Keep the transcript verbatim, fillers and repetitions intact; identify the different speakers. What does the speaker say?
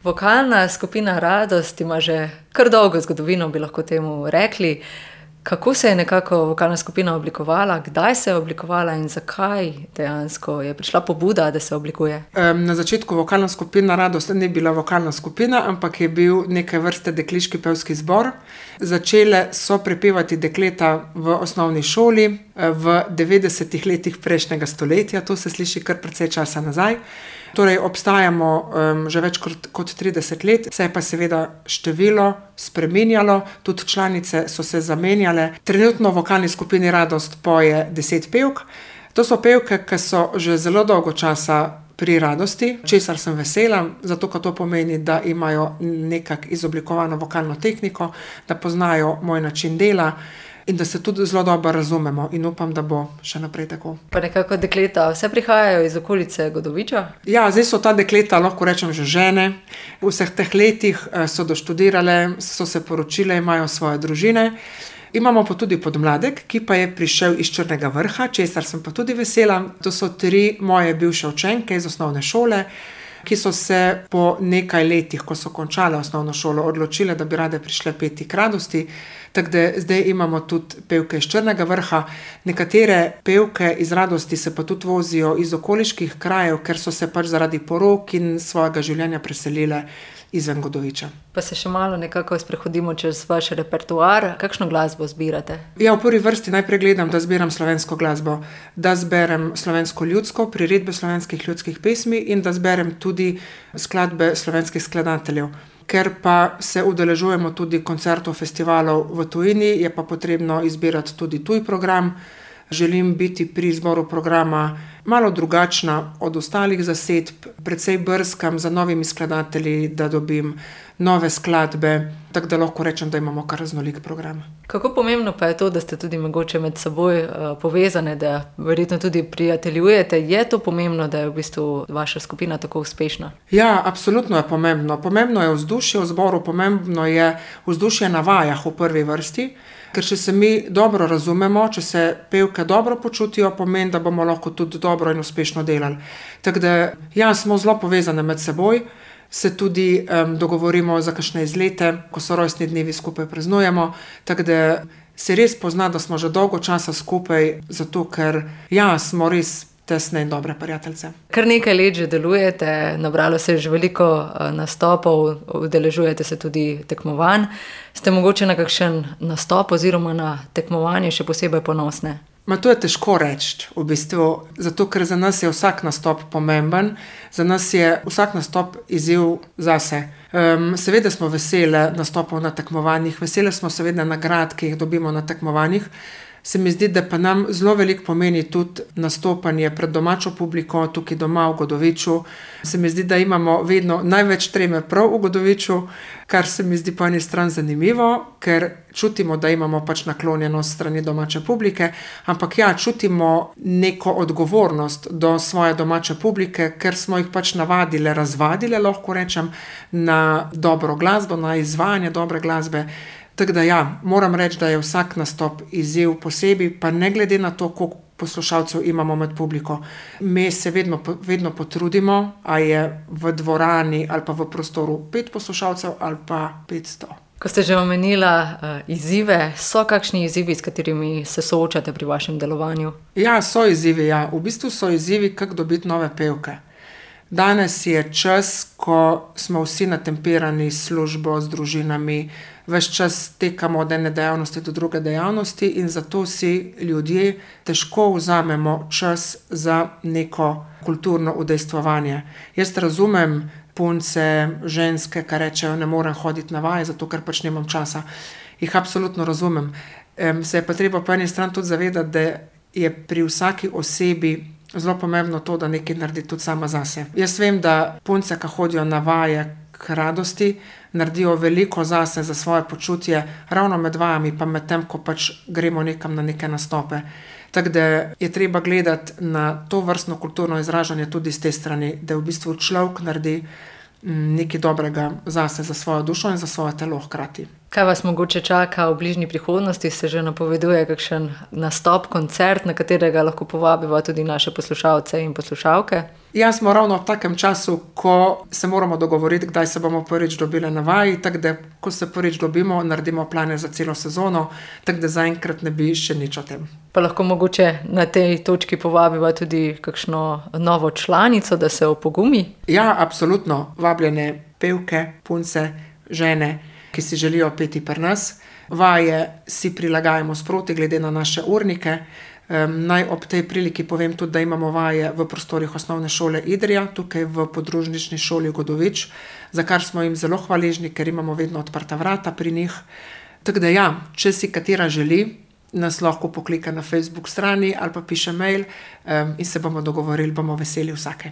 Speaker 1: Vokalna skupina Radost ima že kar dolgo zgodovino, bi lahko temu rekli. Kako se je nekako vokalna skupina oblikovala, kdaj se je oblikovala in zakaj dejansko je prišla pobuda, da se oblikuje?
Speaker 2: Um, na začetku vokalna skupina Radost ni bila vokalna skupina, ampak je bil neke vrste dekliški pevski zbor. Začele so prepevati dekleta v osnovni šoli v devetdesetih letih prejšnjega stoletja, to se sliši kar precej časa nazaj. Torej obstajamo um, že več kot, kot trideset let, se je pa seveda število spreminjalo, tudi članice so se zamenjale. Trenutno v vokalni skupini Radost poje deset pevk. To so pevke, ki so že zelo dolgo časa pri Radosti, česar sem vesela, zato ker to pomeni, da imajo nekako izoblikovano vokalno tehniko, da poznajo moj način dela in da se tudi zelo dobro razumemo in upam, da bo še naprej tako.
Speaker 1: Pa nekako dekleta vse prihajajo iz okolice Godoviča?
Speaker 2: Ja, zdaj so ta dekleta, lahko rečem, že žene. V vseh teh letih so doštudirale, so se poročile, imajo svoje družine. Imamo pa tudi podmladek, ki pa je prišel iz Črnega Vrha, česar sem pa tudi vesela. To so tri moje bivše učenke iz osnovne šole, ki so se po nekaj letih, ko so končale osnovno šolo, odločile, da bi rade prišle peti k Radosti. Tako da zdaj imamo tudi pevke iz Črnega Vrha. Nekatere pevke iz Radosti se pa tudi vozijo iz okoliških krajev, ker so se pač zaradi porok in svojega življenja preselile izven Godoviča.
Speaker 1: Pa se še malo nekako sprehodimo čez vaš repertoar. Kakšno glasbo zbirate?
Speaker 2: Ja, v prvi vrsti najprej gledam, da zbiram slovensko glasbo, da zberem slovensko ljudsko, priredbe slovenskih ljudskih pesmi in da zberem tudi skladbe slovenskih skladateljev. Ker pa se udeležujemo tudi koncertov, festivalov v tujini, je pa potrebno izbirati tudi tuj program. Želim biti pri izboru programa malo drugačna od ostalih zasedb, precej brskam za novimi skladatelji, da dobim nove skladbe, tako da lahko rečem, da imamo kar raznolik program.
Speaker 1: Kako pomembno pa je to, da ste tudi mogoče med seboj uh, povezane, da verjetno tudi prijateljujete? Je to pomembno, da je v bistvu vaša skupina tako uspešna?
Speaker 2: Ja, absolutno je pomembno. Pomembno je vzdušje v zboru, pomembno je vzdušje na vajah v prvi vrsti, ker če se mi dobro razumemo, če se pevke dobro počutijo, pomeni, da bomo lahko tudi dobro in uspešno delali. Tako da, ja, smo zelo povezane med seboj, se tudi um, dogovorimo za kakšne izlete, ko so rojstni dnevi skupaj praznujemo, tako da se res pozna, da smo že dolgo časa skupaj, zato ker, ja, smo res tesne in dobre prijateljice.
Speaker 1: Kar nekaj let že delujete, nabralo se je že veliko nastopov, udeležujete se tudi tekmovanj. Ste mogoče na kakšen nastop oziroma na tekmovanje še posebej ponosne?
Speaker 2: Ma to je težko reči, v bistvu, zato ker za nas je vsak nastop pomemben, za nas je vsak nastop izziv zase. Um, seveda smo vesele nastopov na tekmovanjih, vesele smo seveda nagrad, ki jih dobimo na tekmovanjih. Se mi zdi, da pa nam zelo veliko pomeni tudi nastopanje pred domačo publiko, tukaj doma v Godoviču. Se mi zdi, da imamo vedno največ treme prav v Godoviču, kar se mi zdi po eni strani zanimivo, ker čutimo, da imamo pač naklonjenost strani domače publike, ampak ja, čutimo neko odgovornost do svoje domače publike, ker smo jih pač navadile, razvadile, lahko rečem, na dobro glasbo, na izvajanje dobre glasbe. Tako da ja, moram reči, da je vsak nastop izziv posebej, pa ne glede na to, koliko poslušalcev imamo med publiko. Mi se vedno, vedno potrudimo, a je v dvorani ali pa v prostoru pet poslušalcev ali pa petsto.
Speaker 1: Ko ste že omenila uh, izzive, so kakšni izzivi, s katerimi se soočate pri vašem delovanju? Ja,
Speaker 2: so izzivi, ja. V bistvu so izzivi, kako dobiti nove pevke. Danes je čas, ko smo vsi natemperani s službo, s družinami, ves čas tekamo od ene dejavnosti do druge dejavnosti in zato si ljudje težko vzamemo čas za neko kulturno udejstvovanje. Jaz razumem punce, ženske, ki rečejo, ne morem hoditi na vaje, zato ker pač nimam časa. Jih absolutno razumem. Um, se je pa treba po eni strani tudi zavedati, da je pri vsaki osebi zelo pomembno to, da nekaj naredi tudi sama zase. Jaz vem, da punce, ki hodijo na vaje k Radosti, naredijo veliko zase, za svoje počutje, ravno med vajami, pa med tem, ko pač gremo nekam na neke nastope. Tako da je treba gledati na to vrstno kulturno izražanje tudi z te strani, da v bistvu človek naredi nekaj dobrega zase, za svojo dušo in za svoje telo hkrati.
Speaker 1: Kaj vas mogoče čaka v bližnji prihodnosti? Se že napoveduje kakšen nastop, koncert, na katerega lahko povabiva tudi naše poslušalce in poslušalke?
Speaker 2: Ja, smo ravno v takem času, ko se moramo dogovoriti, kdaj se bomo prvič dobili na vaji, tako da, ko se prvič dobimo, naredimo plane za celo sezono, tako da zaenkrat ne bi še nič o tem.
Speaker 1: Pa lahko mogoče na tej točki povabiva tudi kakšno novo članico, da se opogumi?
Speaker 2: Ja, absolutno. Vabljene pevke, punce, žene, ki si želijo peti pri nas. Vaje si prilagajamo sproti glede na naše urnike. Um, naj ob tej priliki povem tudi, da imamo vaje v prostorih osnovne šole Idrija, tukaj v podružnični šoli Godovič, za kar smo jim zelo hvaležni, ker imamo vedno odprta vrata pri njih. Tako da ja, če si katera želi, nas lahko poklika na Facebook strani ali pa piše mail um, in se bomo dogovorili, bomo veseli vsake.